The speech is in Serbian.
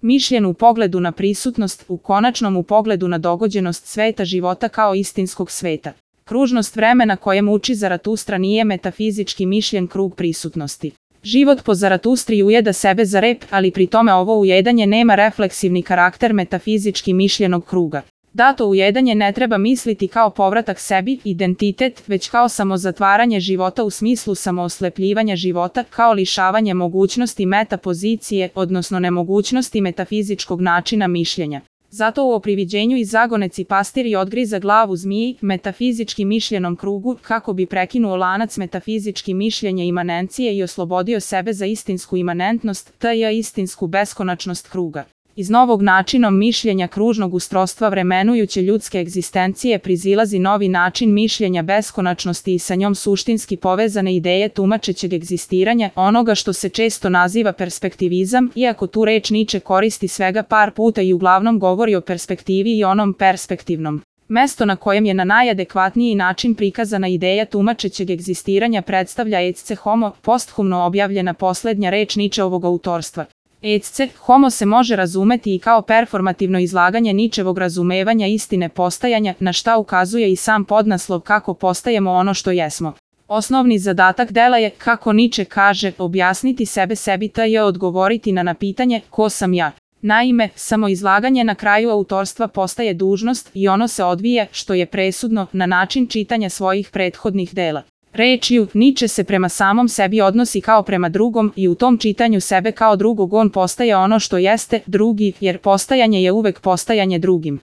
mišljen u pogledu na prisutnost, u konačnom u pogledu na dogođenost sveta života kao istinskog sveta. Kružnost vremena kojem uči Zaratustra nije metafizički mišljen krug prisutnosti. Život po Zaratustri ujeda sebe za rep, ali pri tome ovo ujedanje nema refleksivni karakter metafizički mišljenog kruga. Dato ujedanje ne treba misliti kao povratak sebi, identitet, već kao samozatvaranje života u smislu samooslepljivanja života, kao lišavanje mogućnosti metapozicije, odnosno nemogućnosti metafizičkog načina mišljenja. Zato u opriviđenju iz zagoneci pastir odgriza glavu zmiji, metafizički mišljenom krugu, kako bi prekinuo lanac metafizički mišljenja imanencije i oslobodio sebe za istinsku imanentnost, tj. istinsku beskonačnost kruga. Iz novog načinom mišljenja kružnog ustrostva vremenujuće ljudske egzistencije prizilazi novi način mišljenja beskonačnosti i sa njom suštinski povezane ideje tumačećeg egzistiranja, onoga što se često naziva perspektivizam, iako tu reč Niče koristi svega par puta i uglavnom govori o perspektivi i onom perspektivnom. Mesto na kojem je na najadekvatniji način prikazana ideja tumačećeg egzistiranja predstavlja ecce homo, posthumno objavljena posljednja reč Ničeovog autorstva. Ecce homo se može razumeti i kao performativno izlaganje Ničevog razumevanja istine postajanja, na šta ukazuje i sam podnaslov kako postajemo ono što jesmo. Osnovni zadatak dela je, kako Niče kaže, objasniti sebe sebi tj. odgovoriti na pitanje ko sam ja. Naime, samoizlaganje na kraju autorstva postaje dužnost i ono se odvija, što je presudno, na način čitanja svojih prethodnih dela. Rečju, Niče se prema samom sebi odnosi kao prema drugom i u tom čitanju sebe kao drugog on postaje ono što jeste, drugi, jer postajanje je uvek postajanje drugim.